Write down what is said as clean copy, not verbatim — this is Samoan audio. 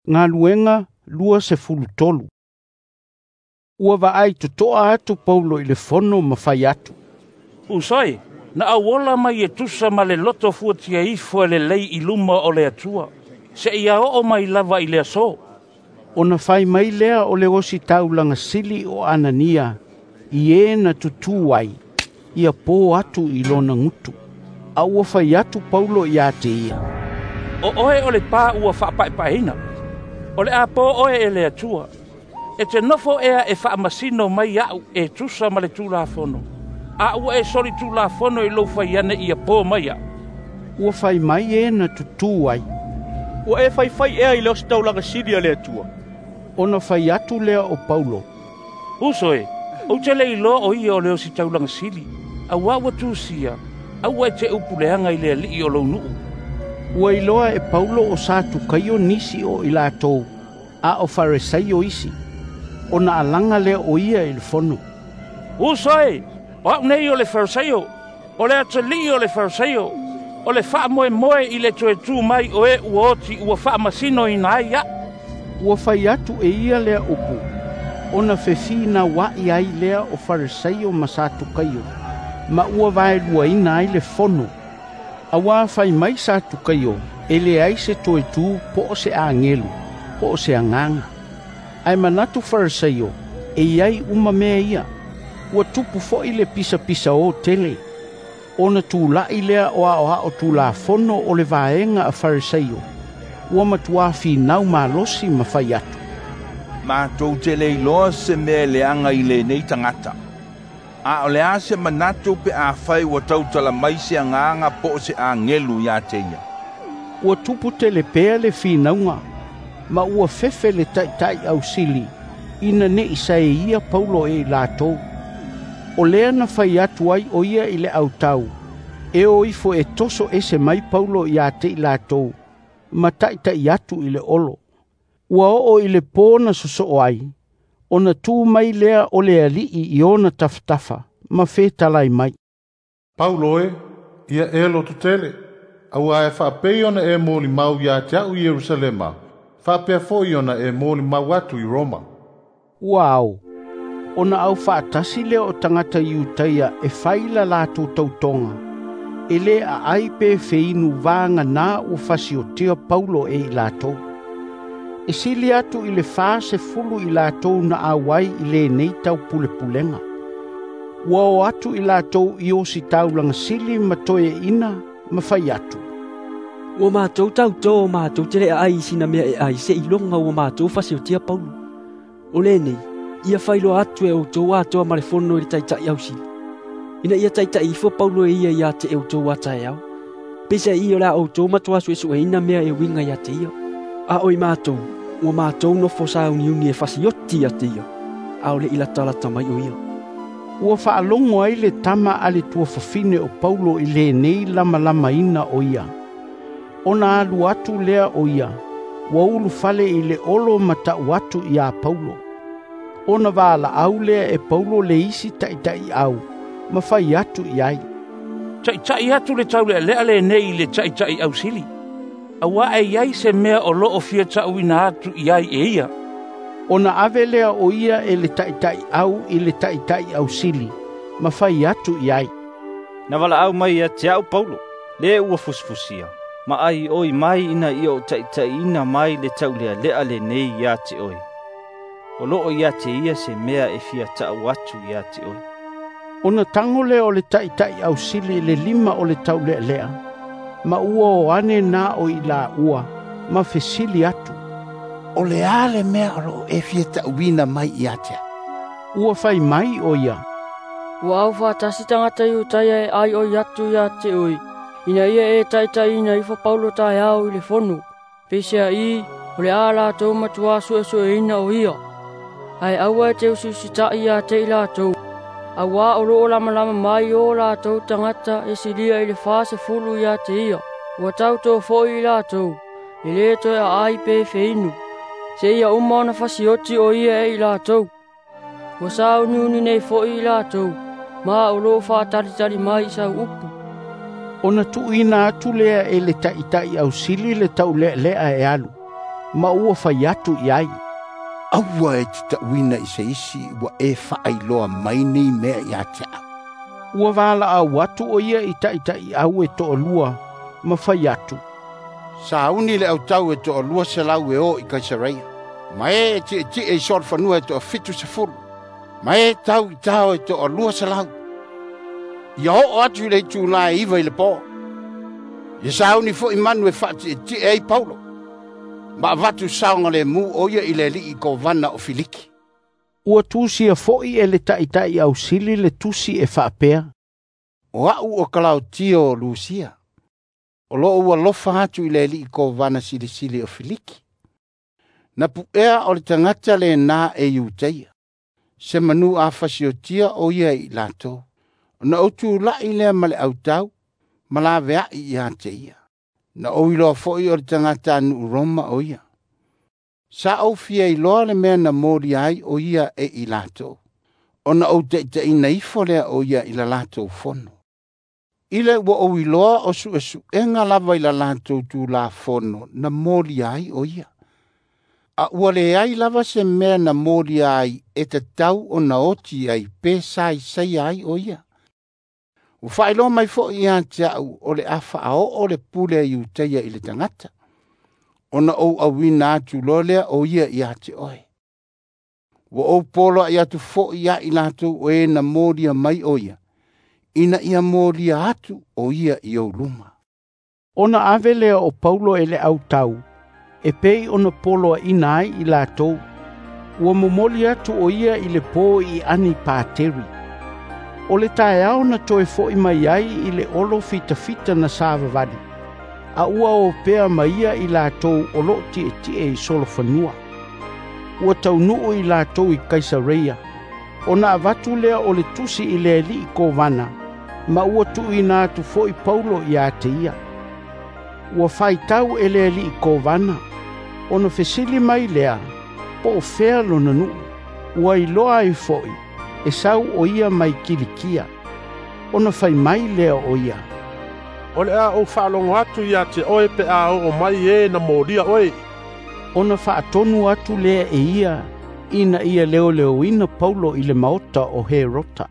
Galuega 23. Ua vaai totoa atu Paulo i le fono ma fai atu, "Uso e, na ou ola mai e tusa ma le loto fuatia ifo e lelei i luma o le Atua, seia oo mai lava i le aso." Ona fai mai lea o le ositaulaga sili o Anania i e na tutū ai, ia po atu i lona gutu. A ua fai atu Paulo ia te ia, "O oe o le pā ua faapaepaeina. O le a po oe e le Atua. E te nofo ea e faamasino mai a'u e tusa ma le Tulafono, a ua e solitulafono i lou fai ane ia po mai a'u." Ua fai mai e na tutū ai, "Ua e faifai ea i le ositaulaga sili a le Atua?" Ona fai atu lea o Paulo, "Uso e, ou te le iloa o ia o le ositaulaga sili, auā ua tusia, aua e te upu leaga i le alii o lou nuu." Ua iloa e Paulo o Satukaio nisi o i latou, a o Faresaio isi. Ona alaga lea o ia i le fono, "Uso e, o a'u nei o le Faresaio, o le atalii o le Faresaio. O le faamoemoe i le toe tu mai o e ua oti ua faamasinoina ai a'u." Ua fai atu e ia lea upu, ona fefinaua'i ai lea o Faresaio ma Satukaio, ma ua vaeluaina ai le fono. Auā fai mai Satukaio, e leai se toe tu po o se agelu, po o se agaga. Ae manatu Faresaio, e iai uma mea ia. Ua tupu fo'i le pisapisaō tele. Ona tula'i lea o aoao tulafono o le vaega a Faresaio, ua matuā finau malosi ma fai atu, "Matou te le iloa se mea e leaga i lenei tagata. A o le a se manatu pe afai ua tautala mai se agaga po o se agelu ia te ia." Ua tupu tele pea le finauga, ma ua fefe le taita'i ausili, ina ne'i saeia Paulo e i latou. O lea na fai atu ai o ia i le autau, e o ifo e toso ese mai Paulo ia te i latou, ma taita'i atu i le olo. Ua oo i le pō na sosoo ai, ona tu mai lea o le alii i ona tafatafa, ma fetalai mai, "Paulo e, ia e lototele, auā e faapei ona e molimau ia te a'u i Ierusalema, faapea fo'i ona e molimau atu i Roma." Ua ao, ona aufaatasi lea o tagata Iutaia e fai la latou tautoga, e lē aai pe feinu vaganā ua fasiotia Paulo e i latou. E sili atu i le 40 i latou na auai i lenei taupulepulega. Ua o atu i latou i ositaulaga sili ma toeaina ma fai atu, "Ua matou tautō matou te le aai i sina mea e ai seiloga ua matou fasiotia Paulo. O lenei, ia failoa atu e outou atoa ma le fono i le taita'i ausili, ina ia taita'i ifo Paulo e ia ia te outou a taeao. Peisa'i o le a outou matuā suesueina mea e uiga ia te ia. A o i matou, ua matou nofo sauniuni e fasioti ia te ia, a o le'i latalata mai o ia." Ua faalogo ai le tama a le tuafafine o Paulo i lenei lamalamaina o ia. Ona alu atu lea o ia, ua ulufale i le olo ma ta'u atu iā Paulo. Ona valaau lea e Paulo le isi taita'iau, ma fai atu i ai, "Taita'i atu le taulealea lenei i le taita'i ausili, auā e iai se mea o loo fia ta'uina atu i ai e ia." Ona ave lea o ia e le taita'iau i le taita'i ausili, ma fai atu i ai, "Na valaau mai ia te a'u Paulo, le ua fusifusia, ma aioi mai ina ia ou taita'iina mai le taulealea lenei ia te oe. O loo ia te ia se mea e fia ta'u atu ia te oe." Ona tago lea o le taita'i ausili i le lima o le taulealea, ma ua o ane na o i laua, ma fesili atu, "O le a le mea o loo e fia ta'uina mai ia te a'u?" Ua fai mai o ia, "Ua aufaatasi tagata Iutaia e aioi atu ia te oe, ina ia e taita'iina ifo Paulo taeao i le fono. Peisea'i o le a latou matuā suesueina o ia. Ae aua e te usiusita'i ia te i latou, auā o loo lamalama mai o latou tagata e silia i le 40 ia te ia. Ua tautō fo'i i latou, e lē toe aai pe feinu, seia uma ona fasioti o ia e i latou. Ua sauniuni nei fo'i i latou, ma o loo faatalitali mai i sau upu." Ona tuuina atu lea e le taita'i ausili le taulealea e alu, Ma ua fai atu i ai, Aua e te ta'uina i se isi ua e faailoa mai nei mea ia te a'u. Ua valaau atu o ia i taʻitaʻiʻau e toalua ma fai atu, Sauni le autau e 200 e o i Kaisareia, ma e tietie i solofanua e 70, ma e tau i tao e 200. Ia oo atu i le itulā e 9 i le po. Ia sauni fo'i manu e faatietie ai Paulo, ma avatu saogalemu o ia i le alii kovana o Filiki. Ua tusia fo'i e le taʻitaʻi ausili le tusi e faapea, O a'u o Kalautio o Lusia, o loo ua lofa atu i le alii kovana silisili o Filiki. Na pu'ea o le tagata lenā e Iutaia, se manu a fasiotia o ia i latou, ona ou tula'i lea ma le autau, ma lavea'i ia te ia. Na ou iloa fo'i o le tagata anu'u Roma o ia. Sa ou fia iloa le mea na molia ai o ia e i latou, ona ou taʻitaʻina ifo lea o ia i la latou fono. I le ua ou iloa o suʻesuʻega lava i la latou tulafono na molia ai o ia. A ua leai lava se mea na molia ai e tatau ona oti ai pe saisaia ai o ia. Ua faailoa mai fo'i ia te a'u o le a faaoo le pule a Iutaia i le tagata, ona ou auina atu loa lea o ia ia te oe. Ua ou poloa'i atu fo'i ia i latou o e na molia mai o ia, ina ia molia atu o ia i ou luma. Ona ave lea o Paulo e le autau, e pei ona poloaʻina ai i latou. Ua momoli atu o ia i le po i Anipateri. O le taeao na toe fo'i mai ai i le olo fitafita na savavali, a ua o pea ma ia i latou o loo tietie i solofanua. Ua taunuu i latou i Kaisareia, ona avatu lea o le tusi i le alii kovana, ma ua tuuina atu fo'i Paulo ia te ia. Ua faitau e le alii kovana, ona fesili mai lea, po o fea lona nuu. Ua iloa ai fo'i, e sau o ia mai Kilikia. Ona fai mai lea o ia, O le a ou faalogo atu ia te oe pe a oo mai e na molia oe. Ona faatonu atu lea e ia, ina ia leoleoina Paulo i le maota o Herota.